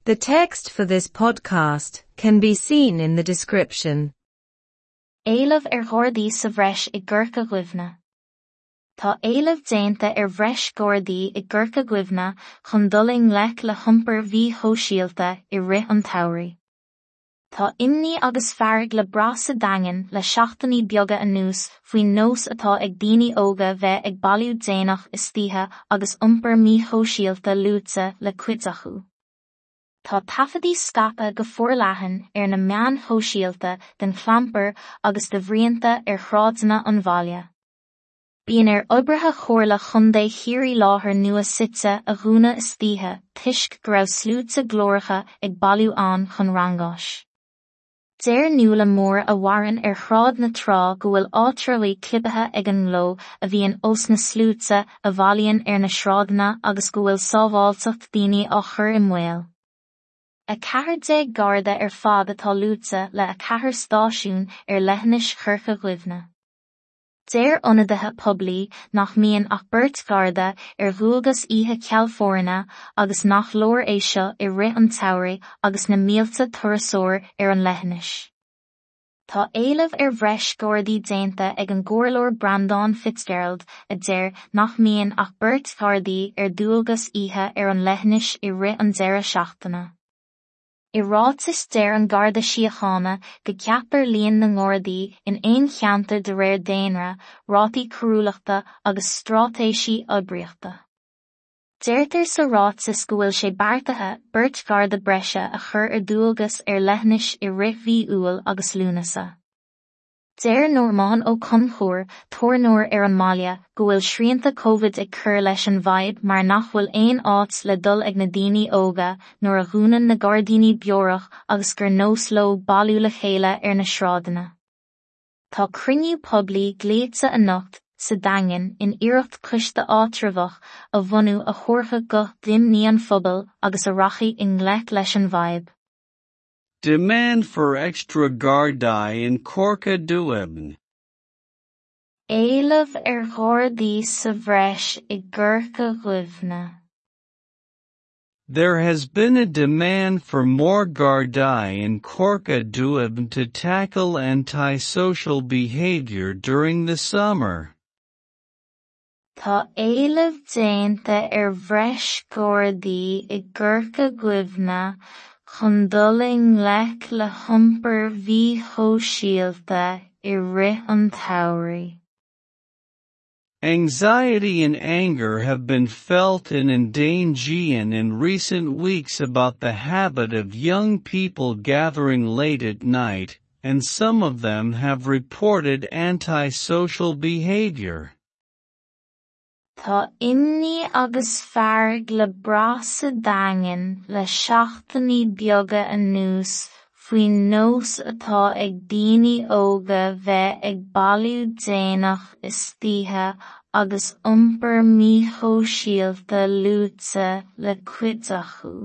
The text for this podcast can be seen in the description. Éileamh ar Ghardaí sa bhreis i gCorca Dhuibhne. Tá éileamh déanta ar bhreis Gardaí i gCorca Dhuibhne chun dul i ngleic le hiompar mhíshóisialta i rith an tsamhraidh. Tá imní agus fearg le brath sa Daingean le seachtainí beaga anuas faoin nós atá ag daoine óga bheith ag bailiú déanach istoíche agus iompar míshóisialta luaite le cuid acu. Tá taifeadtaí scaipthe go forleathan ar na meáin shóisialta den chlampar agus de bhruíonta ar shráideanna an bhaile. Bíonn ar oibrithe Chomhairle Chontae Chiarraí láthair nua suite a dhúnadh istoíche toisc go raibh sluaite glóracha ag bailiú ann chun rangáis. Deir Nuala Moore a mhaireann ar Shráid na Trá go bhfuil áitreabhaí clibithe ag an ngleo a bhíonn os na sluaite a bhailíonn ar na sráideanna agus go bhfuil sábháilteacht daoine á chur i mbaol. 14 Garda ar fad atá luaite le 4 stáisiún ar leithinis Chorca Dhuibhne. Deir ionadaithe poiblí nach mbíonn ach beirt Gharda ar dhualgas oíche ceal foirne agus nach leor é seo i rith an tsamhraidh agus na mílte turasóir ar an leithinis. Tá éileamh ar bhreis Gardaí déanta ag an gComhairleoir Breandán Fitzgerald a deir nach mbíonn ach beirt Ghardaí ar dualgas oíche ar an leithinis i rith an deireadh seachtaine. I ráiteas deir an Garda Síochána go gceaptar líon na nGardaí in aon cheantar de réir daonra, rátaí coiriúlachta agus straitéisí oibríochta. Deirtear sa ráiteas go bhfuil sé beartaithe beirt Gharda breise a chur ar dualgas ar leithinis i rith mhí Iúil agus Lúnasa. Deir Normán Ó Conchúir, tábhairneoir ar an mbaile, go bhfuil srianta Covid ag cur leis an bhfadhb mar nach bhfuil aon áit le dul ag na daoine óga nuair a dhúnann na gairdíní beorach agus gur nós leo bailiú le chéile ar na sráideanna. Tá cruinniú poiblí glaoite anocht sa Daingean in iarracht coiste áitreabhach a bhunú a thabharfadh guth d'imní an phobail agus a rachaidh i ngleic leis an bhfadhb. Demand for extra Gardaí in Corca Dhuibhne. Éileamh ar Ghardaí sa bhreis i gCorca Dhuibhne. There has been a demand for more Gardaí in Corca Dhuibhne to tackle antisocial behavior during the summer. Tá éileamh déanta ar bhreis Gardaí i gCorca Dhuibhne chun dul i ngleic le hiompar mhíshóisialta i rith an tsamhraidh. Anxiety and anger have been felt in An Daingean in recent weeks about the habit of young people gathering late at night, and some of them have reported antisocial behavior. Tá imní agus fearg le brath sa Daingean le seachtainí beaga anuas faoin nós atá ag daoine óga bheith ag bailiú déanach istoíche agus iompar míshóisialta luaite le cuid acu.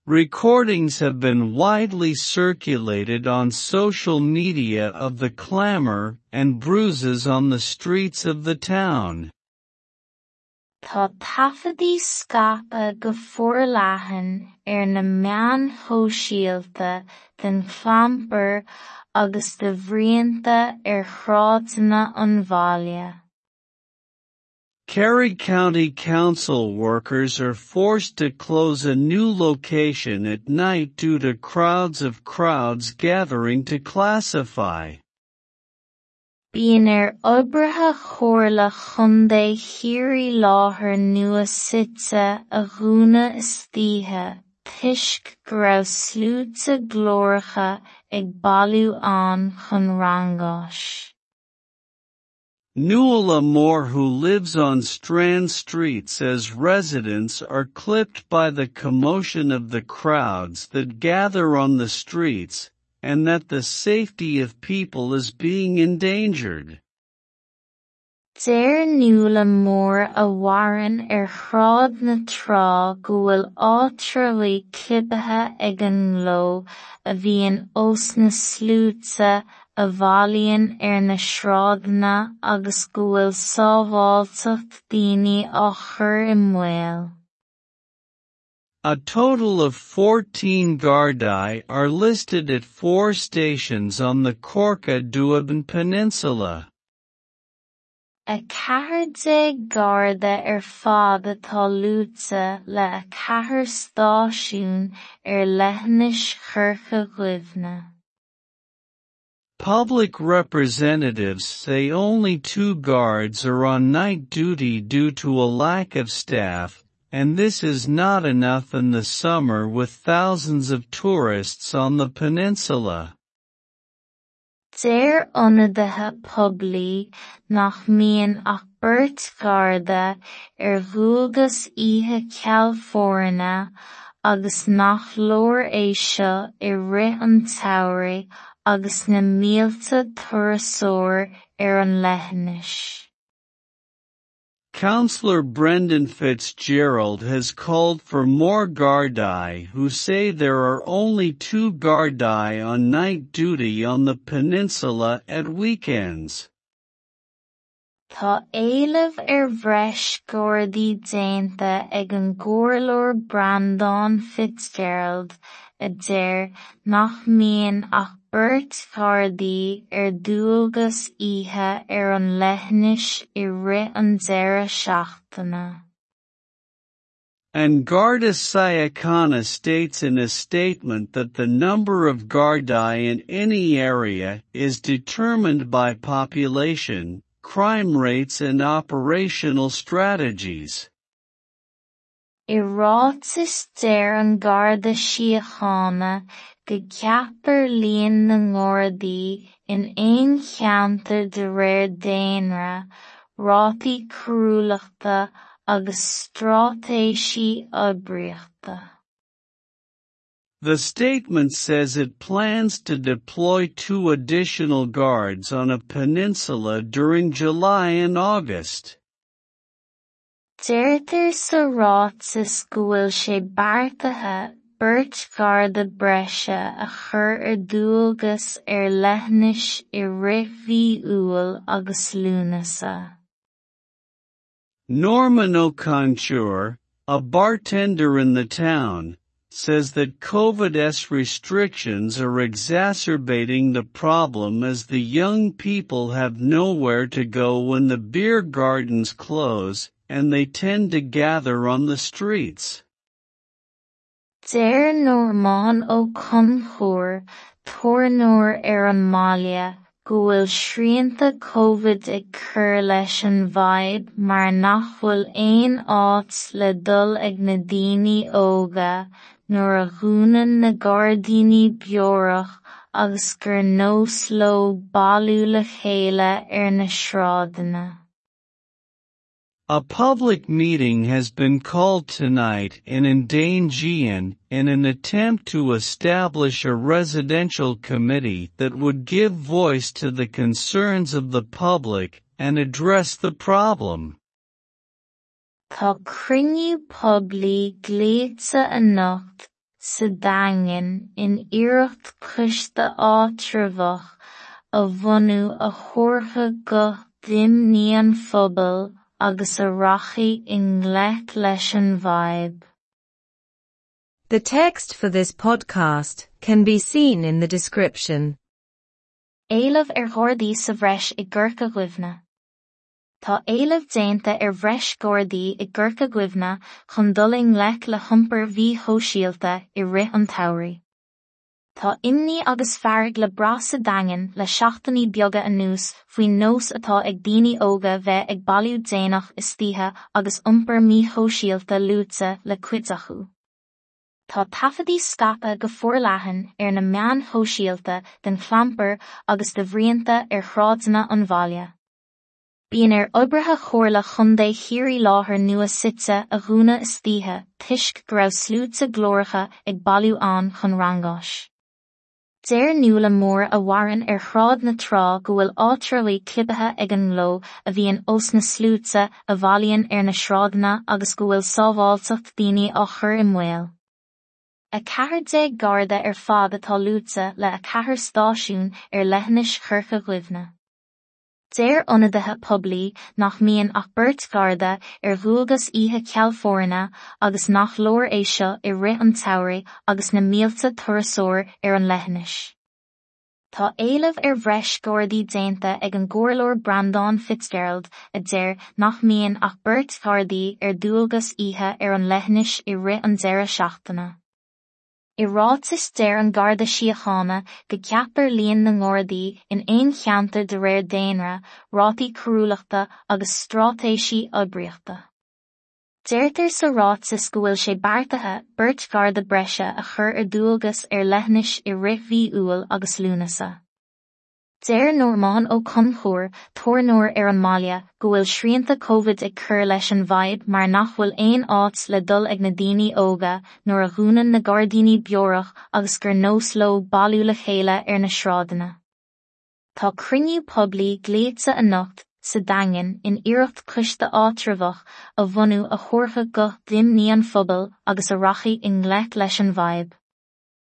Recordings have been widely circulated on social media of the clamor and bruises on the streets of the town. Tá taifeadtaí scaipthe go forleathan ar na meáin shóisialta den chlampar agus de bhruíonta ar shráideanna an bhaile. Kerry County Council workers are forced to close a new location at night due to crowds of crowds gathering to classify. Bíonn ar oibrithe Chomhairle Chontae Chiarraí láthair nua suite a dhúnadh istoíche toisc go raibh sluaite glóracha ag bailiú ann chun rangáis. Nuala Moore who lives on Strand Street says residents are clipped by the commotion of the crowds that gather on the streets, and that the safety of people is being endangered. Deir Nuala Moore a mhaireann ar Shráid na Trá go bhfuil áitreabhaí clibithe ag an ngleo a bhíonn os na sluaite a bhailíonn ar na sráideanna agus go bhfuil sábháilteacht daoine á chur i mbaol. A total of 14 Gardaí are listed at four stations on the Corca Dhuibhne Peninsula. 14 Garda ar fad atá luaite le 4 stáisiún ar leithinis Chorca Dhuibhne. Public representatives say only two guards are on night duty due to a lack of staff, and this is not enough in the summer with thousands of tourists on the peninsula. Deir ionadaithe poiblí nach mbíonn ach beirt Gharda ar dhualgas oíche ceal foirne agus nach leor é seo i rith an tsamhraidh agus na mílte turasóir ar an leithinis. Councillor Brendan Fitzgerald has called for more Gardaí who say there are only two Gardaí on night duty on the peninsula at weekends. Tá éileamh ar bhreis Gardaí déanta ag an gComhairleoir Breandán Fitzgerald a deir nach mbíonn ach beirt Ghardaí ar dualgas oíche ar an leithinis i rith an deireadh seachtaine. An Garda Síochána states in a statement that the number of Gardaí in any area is determined by population, crime rates and operational strategies. I ráiteas deir an Garda Síochána go gceapfar líon na nGardaí in aon cheantar de réir daonra, rátaí coiriúlachta agus straitéisí oibríochta. The statement says it plans to deploy two additional guards on a peninsula during July and August. Deirtear sa ráiteas go bhfuil sé beartaithe beirt Gharda breise a chur ar dualgas ar leithinis i rith mhí Iúil agus Lúnasa. Norman Ó Conchúir, a bartender in the town, says that COVID's restrictions are exacerbating the problem as the young people have nowhere to go when the beer gardens close, and they tend to gather on the streets. Deir Normán Ó Conchúir, tábhairneoir ar an mbaile, go bhfuil srianta Covid ag cur leis an bhfadhb mar nach bhfuil aon áit le dul ag na daoine óga nuair a dhúnann na gairdíní beorach agus gur nós leo bailiú le chéile ar na sráideanna. A public meeting has been called tonight in An Daingean in an attempt to establish a residential committee that would give voice to the concerns of the public and address the problem. Tá cruinniú poiblí glaoite anocht sa Daingean in iarracht coiste áitreabhach a bhunú a thabharfadh guth d'imní an phobail agus a rachaidh i ngleic leis an bhfadhb. The text for this podcast can be seen in the description. Éileamh ar Ghardaí sa bhreis i gCorca Dhuibhne. Tá éileamh déanta ar bhreis Gardaí i gCorca Dhuibhne chun dul i ngleic le hiompar mhíshóisialta i rith an tsamhraidh. Tá imní agus fearg le brath sa Daingean le seachtainí beaga anuas faoin nós atá ag daoine óga bheith ag bailiú déanach istoíche agus iompar míshóisialta luaite le cuid acu. Tá taifeadtaí scaipthe go forleathan ar na meáin shóisialta den chlampar agus de bhruíonta ar shráideanna an bhaile. Bíonn ar oibrithe Chomhairle Chontae Chiarraí láthair nua suite a dhúnadh istoíche toisc go raibh sluaite glóracha ag bailiú ann chun rangáis. Deir Nuala Mór a mhaireann ar Shráid na Trá go bhfuil áitreabhaí clibithe ag an ngleo a bhíonn os na sluaite a bhailíonn ar na sráideanna agus go bhfuil sábháilteacht daoine á chur i mbaol. 14 Garda ar fad atá luaite le 4 stáisiún ar leithinis Chorca Dhuibhne. Deir ionadaithe poiblí nach mbíonn ach beirt Gharda ar dhualgas oíche ceal foirne agus nach leor é seo i rith an tsamhraidh agus na mílte turasóir ar an leithinis. Tá éileamh ar bhreis Gardaí déanta ag an gComhairleoir Breandán Fitzgerald a deir nach mbíonn ach beirt Ghardaí ar dualgas oíche ar an leithinis i rith an deireadh seachtaine. I ráiteas deir an Garda Síochána go gceapfar líon na nGardaí in aon cheantar de réir daonra, rátaí coiriúlachta agus straitéisí oibríochta. Deirtear sa ráiteas go bhfuil sé beartaithe beirt Gharda breise a chur ar dualgas ar leithinis i rith mhí Iúil agus Lúnasa. Deir Normán Ó Conchúir, tábhairneoir ar an mbaile, go bhfuil srianta Covid ag cur leis an bhfadhb mar nach bhfuil aon áit le dul ag na daoine óga nuair a dhúnann na gairdíní beorach agus gur nós leo bailiú le chéile ar na sráideanna. Tá cruinniú poiblí glaoite anocht sa Daingean in iarracht coiste áitreabhach a bhunú a thabharfadh guth d'imní an phobail agus a rachaidh i ngleic leis an bhfadhb.